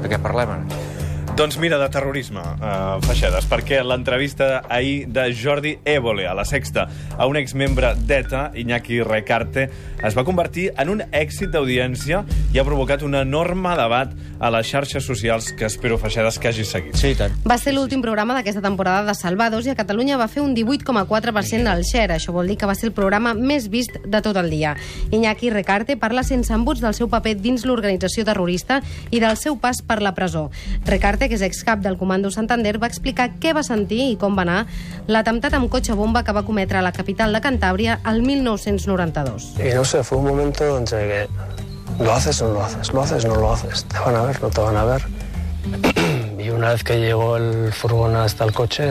De què parlem ara? Doncs mira, de terrorisme, Feixedes, perquè l'entrevista ahir de Jordi Évole a La Sexta a un exmembre d'ETA, Iñaki Recarte, es va convertir en un èxit d'audiència i ha provocat un enorme debat a les xarxes socials que espero, Feixedes, que hagi seguit. Sí, tant. Va ser l'últim programa d'aquesta temporada de Salvados i a Catalunya va fer un 18,4% del share. Això vol dir que va ser el programa més vist de tot el dia. Iñaki Recarte parla sense embuts del seu paper dins l'organització terrorista i del seu pas per la presó. Recarte, que és excap del Comando Santander, va explicar què va sentir i com va anar l'atemptat amb cotxe bomba que va cometre a la capital de Cantàbria el 1992. Y no sé, fue un momento entre que lo haces o no lo haces, lo haces o no lo haces, te van a ver, no te van a ver. Y una vez que llegó el furgón hasta el coche,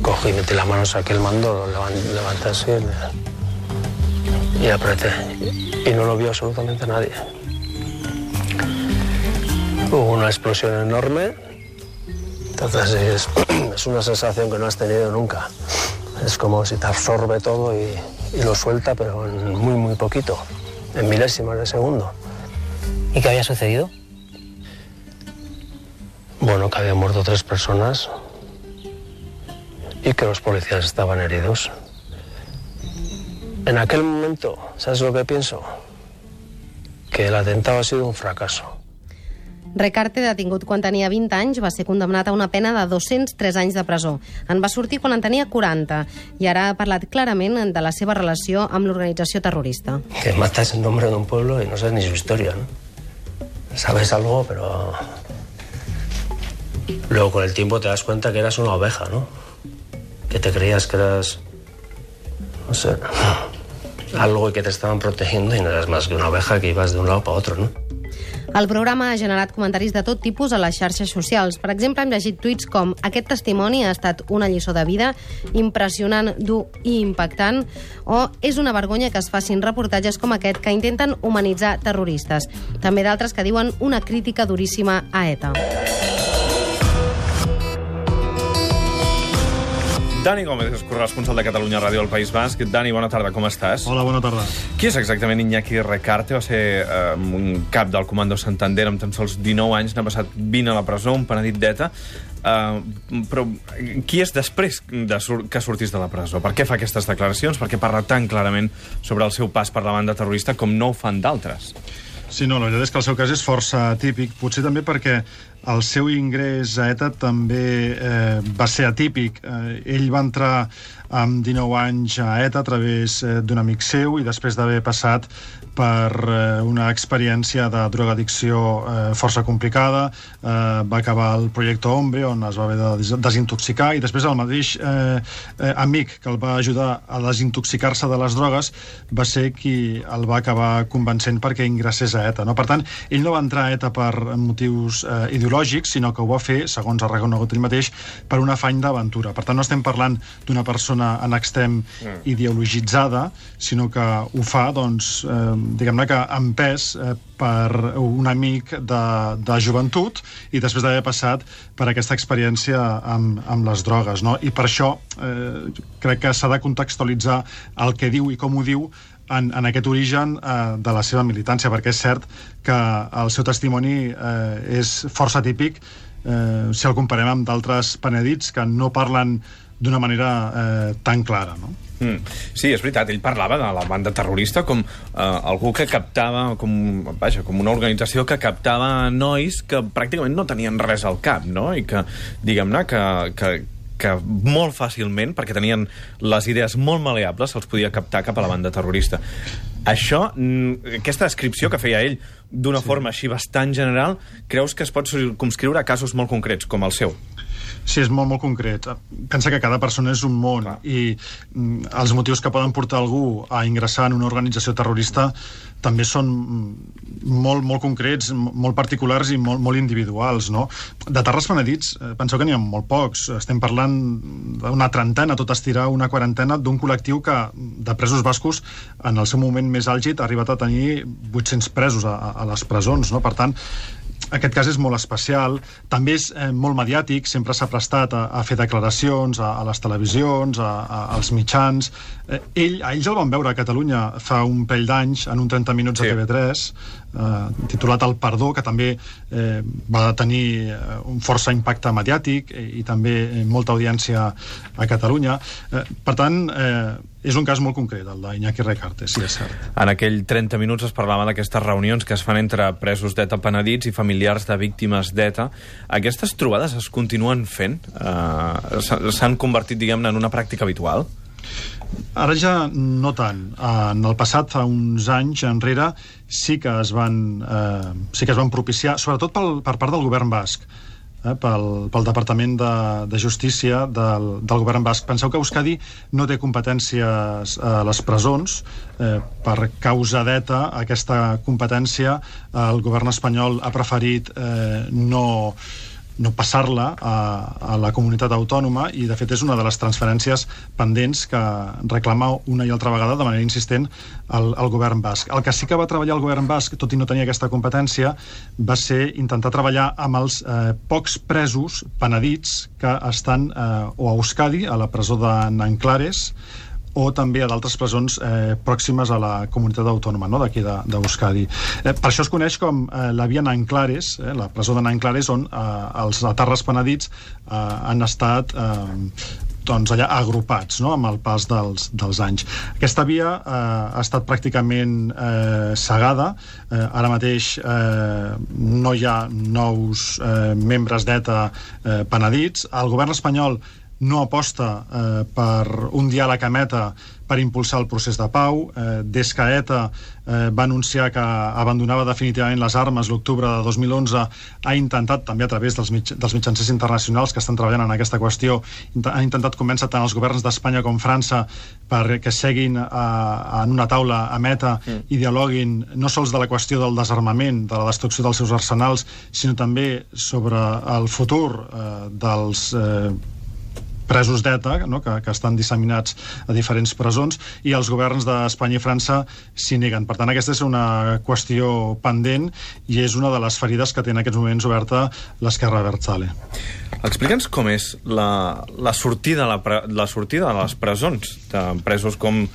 cogí, metí la mano, saqué el mando, lo levanté así y apreté. Y no lo vio absolutamente nadie. Hubo una explosión enorme, entonces es una sensación que no has tenido nunca. Es como si te absorbe todo y lo suelta, pero en muy poquito, en milésimas de segundo. ¿Y qué había sucedido? Bueno, que habían muerto 3 personas y que los policías estaban heridos. En aquel momento, ¿sabes lo que pienso? Que el atentado ha sido un fracaso. Recarte, detingut quan tenia 20 anys, va ser condemnat a una pena de 203 anys de presó. En va sortir quan en tenia 40 i ara ha parlat clarament de la seva relació amb l'organització terrorista. Que matas el nombre de un pueblo y no sabes ni su historia, ¿no? Sabes algo, pero luego con el tiempo te das cuenta que eras una oveja, ¿no? Que te creías que eras, no sé, algo y que te estaban protegiendo y no eras más que una oveja que ibas de un lado para otro, ¿no? El programa ha generat comentaris de tot tipus a les xarxes socials. Per exemple, hem llegit tuits com «Aquest testimoni ha estat una lliçó de vida, impressionant, dur i impactant», o «És una vergonya que es facin reportatges com aquest que intenten humanitzar terroristes». També d'altres que diuen «Una crítica duríssima a ETA». Dani Gómez és corresponsal de Catalunya Ràdio al País Basc. Dani, bona tarda, com estàs? Hola, bona tarda. Qui és exactament Iñaki Recarte? Va ser un cap del Comando Santander amb tan sols 19 anys, n'ha passat 20 a la presó, un penedit d'ETA. Però qui és després que sortís de la presó? Per què fa aquestes declaracions? Per què parla tan clarament sobre el seu pas per la banda terrorista com no ho fan d'altres? Sí, no, la veritat és que el seu cas és força atípic, potser també perquè el seu ingrés a ETA també va ser atípic. Ell va entrar amb 19 anys a ETA a través d'un amic seu i després d'haver passat per una experiència de drogadicció força complicada, va acabar el projecte Hombre, on es va haver de desintoxicar, i després el mateix amic que el va ajudar a desintoxicar-se de les drogues va ser qui el va acabar convencent perquè ingressés a ETA. Per tant, ell no va entrar a ETA per motius ideològics, sinó que ho va fer, segons ha reconegut ell mateix, per un afany d'aventura. Per tant, no estem parlant d'una persona en extrem ideologitzada, sinó que ho fa, doncs, diguem-ne que empès per un amic de joventut i després d'haver passat per aquesta experiència amb les drogues, no? I per això crec que s'ha de contextualitzar el que diu i com ho diu en aquest origen de la seva militància, perquè és cert que el seu testimoni és força típic si el comparem amb d'altres penedits que no parlen d'una manera tan clara, no? Sí, és veritat, ell parlava de la banda terrorista com algú que captava, com una organització que captava nois que pràcticament no tenien res al cap, no? I que, diguem-ne, que molt fàcilment, perquè tenien les idees molt maleables, se'ls podia captar cap a la banda terrorista. Això, aquesta descripció que feia ell d'una forma així bastant general, creus que es pot circumscriure a casos molt concrets, com el seu? Sí, és molt concret. Pensa que cada persona és un món i els motius que poden portar algú a ingressar en una organització terrorista també són molt concrets, molt particulars i molt individuals, no? De terres penedits, penseu que n'hi ha molt pocs. Estem parlant d'una trentena, tot estirar una quarantena, d'un col·lectiu que, de presos bascos, en el seu moment més àlgid, ha arribat a tenir 800 presos a les presons, no? Per tant, aquest cas és molt especial, també és molt mediàtic, sempre s'ha prestat a fer declaracions a les televisions, als mitjans. Ells el van veure a Catalunya fa un parell d'anys en un 30 minuts a TV3, titulat El Perdó, que també va tenir un força impacte mediàtic i també molta audiència a Catalunya. Per tant, és un cas molt concret, el d'Iñaki Recarte, sí, és cert. En aquell 30 minuts es parlava d'aquestes reunions que es fan entre presos d'ETA penedits i familiars de víctimes d'ETA. Aquestes trobades es continuen fent? S'han convertit, diguem-ne, en una pràctica habitual? Ara ja no tant. En el passat, fa uns anys enrere, sí que es van propiciar, sobretot per part del govern basc, pel Departament de Justícia del govern basc. Penseu que Euskadi no té competències a les presons. Per causa d'ETA, aquesta competència el govern espanyol ha preferit no passar-la a la comunitat autònoma, i de fet és una de les transferències pendents que reclama una i altra vegada de manera insistent el govern basc. El que sí que va treballar el govern basc, tot i no tenir aquesta competència, va ser intentar treballar amb els pocs presos penedits que estan o a Euskadi, a la presó de Nanclares, o també a d'altres presons pròximes a la comunitat autònoma, no?, d'aquí d'Euskadi. Per això es coneix com la via Nanclares, la presó de Nanclares, on els etarres penedits han estat allà agrupats, no?, amb el pas dels anys. Aquesta via ha estat pràcticament cegada. Ara mateix no hi ha nous membres d'ETA penedits. El govern espanyol no aposta per un diàleg amb ETA per impulsar el procés de pau. Des que ETA va anunciar que abandonava definitivament les armes l'octubre de 2011, ha intentat, també a través dels mitjans internacionals que estan treballant en aquesta qüestió, ha intentat convèncer tant els governs d'Espanya com França perquè seguin en una taula amb ETA i dialoguin no sols de la qüestió del desarmament, de la destrucció dels seus arsenals, sinó també sobre el futur dels presos d'ETA, no?, que estan disseminats a diferents presons, i els governs d'Espanya i França s'hi neguen. Per tant, aquesta és una qüestió pendent i és una de les ferides que té en aquests moments oberta l'Esquerra Abertzale. Explica'ns com és la sortida de les presons de presos com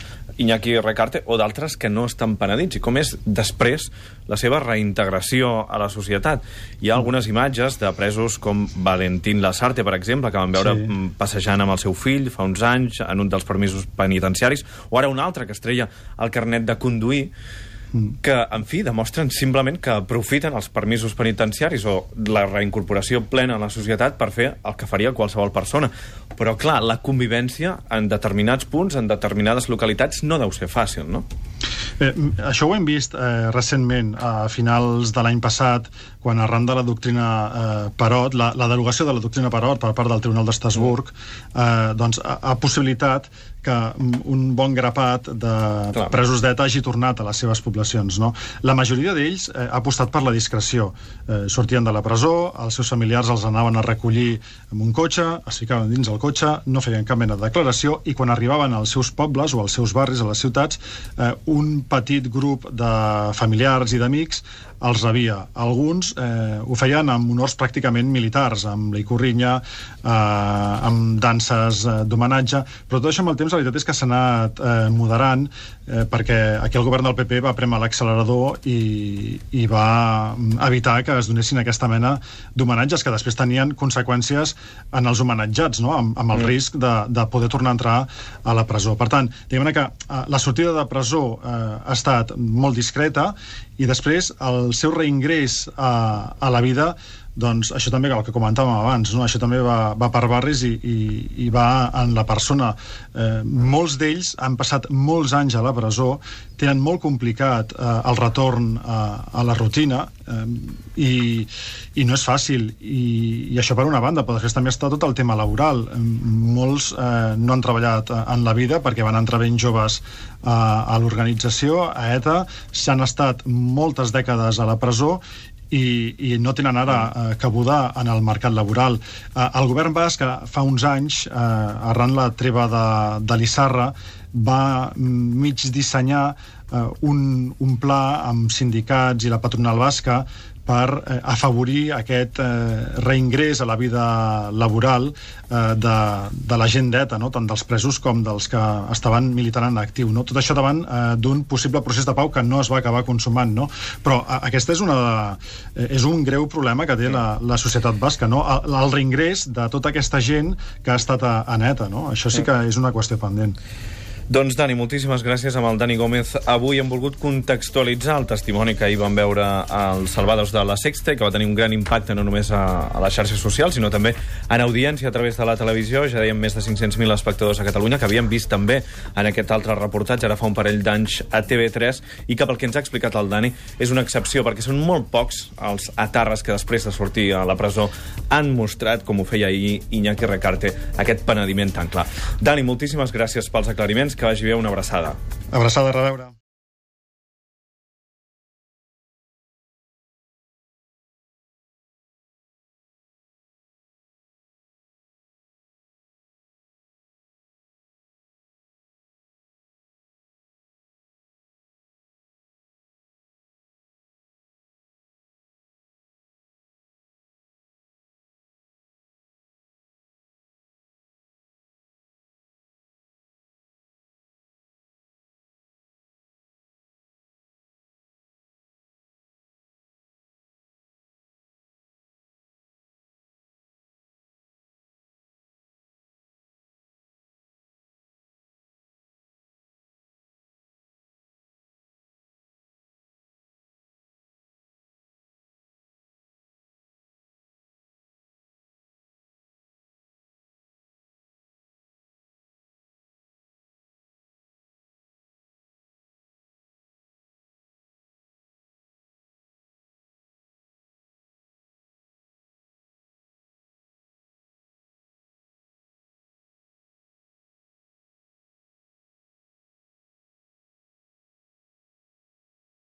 Iñaki Recarte o d'altres que no estan penedits, i com és després la seva reintegració a la societat. Hi ha algunes imatges de presos com Valentín Lasarte, per exemple, que van veure passejant amb el seu fill fa uns anys en un dels permisos penitenciaris, o ara un altre que es treia el carnet de conduir, que, en fi, demostren simplement que aprofiten els permisos penitenciaris o la reincorporació plena a la societat per fer el que faria qualsevol persona. Però, clar, la convivència en determinats punts, en determinades localitats, no deu ser fàcil, no? Això ho hem vist recentment, a finals de l'any passat, quan arran de la doctrina Parot, la derogació de la doctrina Parot per part del Tribunal d'Estrasburg, ha possibilitat que un bon grapat de presos d'ETA hagi tornat a les seves poblacions, no? La majoria d'ells ha apostat per la discreció. Sortien de la presó, els seus familiars els anaven a recollir amb un cotxe, es ficaven dins el cotxe, no feien cap mena de declaració, i quan arribaven als seus pobles o als seus barris, a les ciutats, un petit grup de familiars i d'amics els rebia. Alguns ho feien amb honors pràcticament militars, amb l'ikurriña, amb danses d'homenatge, però tot això amb el temps la veritat és que s'ha anat moderant, perquè aquí el govern del PP va prémer l'accelerador i va evitar que es donessin aquesta mena d'homenatges que després tenien conseqüències en els homenatjats, no?, amb el risc de poder tornar a entrar a la presó. Per tant, diguem-ne que la sortida de presó ha estat molt discreta, i després el seu reingrés a la vida, doncs això també, el que comentàvem abans, no?, això també va per barris i va en la persona. Molts d'ells han passat molts anys a la presó, tenen molt complicat el retorn a la rutina, i no és fàcil, i això per una banda, però després també està tot el tema laboral. Molts no han treballat en la vida perquè van entrar ben joves a l'organització, a ETA, s'han estat moltes dècades a la presó i no tenen ara cabuda en el mercat laboral. El govern basc, fa uns anys, arran la treva de l'Issarra, va mig dissenyar un pla amb sindicats i la patronal basca per afavorir aquest reingrés a la vida laboral de la gent d'ETA, no? Tant dels presos com dels que estaven militant en actiu. No? Tot això davant d'un possible procés de pau que no es va acabar consumant. No? Però aquest és un greu problema que té la societat basca, no? El reingrés de tota aquesta gent que ha estat en ETA. No? Això sí que és una qüestió pendent. Doncs, Dani, moltíssimes gràcies. Amb el Dani Gómez avui hem volgut contextualitzar el testimoni que ahir vam veure als Salvados de la Sexta i que va tenir un gran impacte no només a les xarxes socials, sinó també en audiència a través de la televisió. Ja dèiem més de 500.000 espectadors a Catalunya, que havien vist també en aquest altre reportatge, ara fa un parell d'anys a TV3, i que pel que ens ha explicat el Dani és una excepció, perquè són molt pocs els etarres que després de sortir a la presó han mostrat, com ho feia ahir Iñaki Recarte, aquest penediment tan clar. Dani, moltíssimes gràcies pels aclariments. Que vagi bé, una abraçada. Abraçada, a reveure.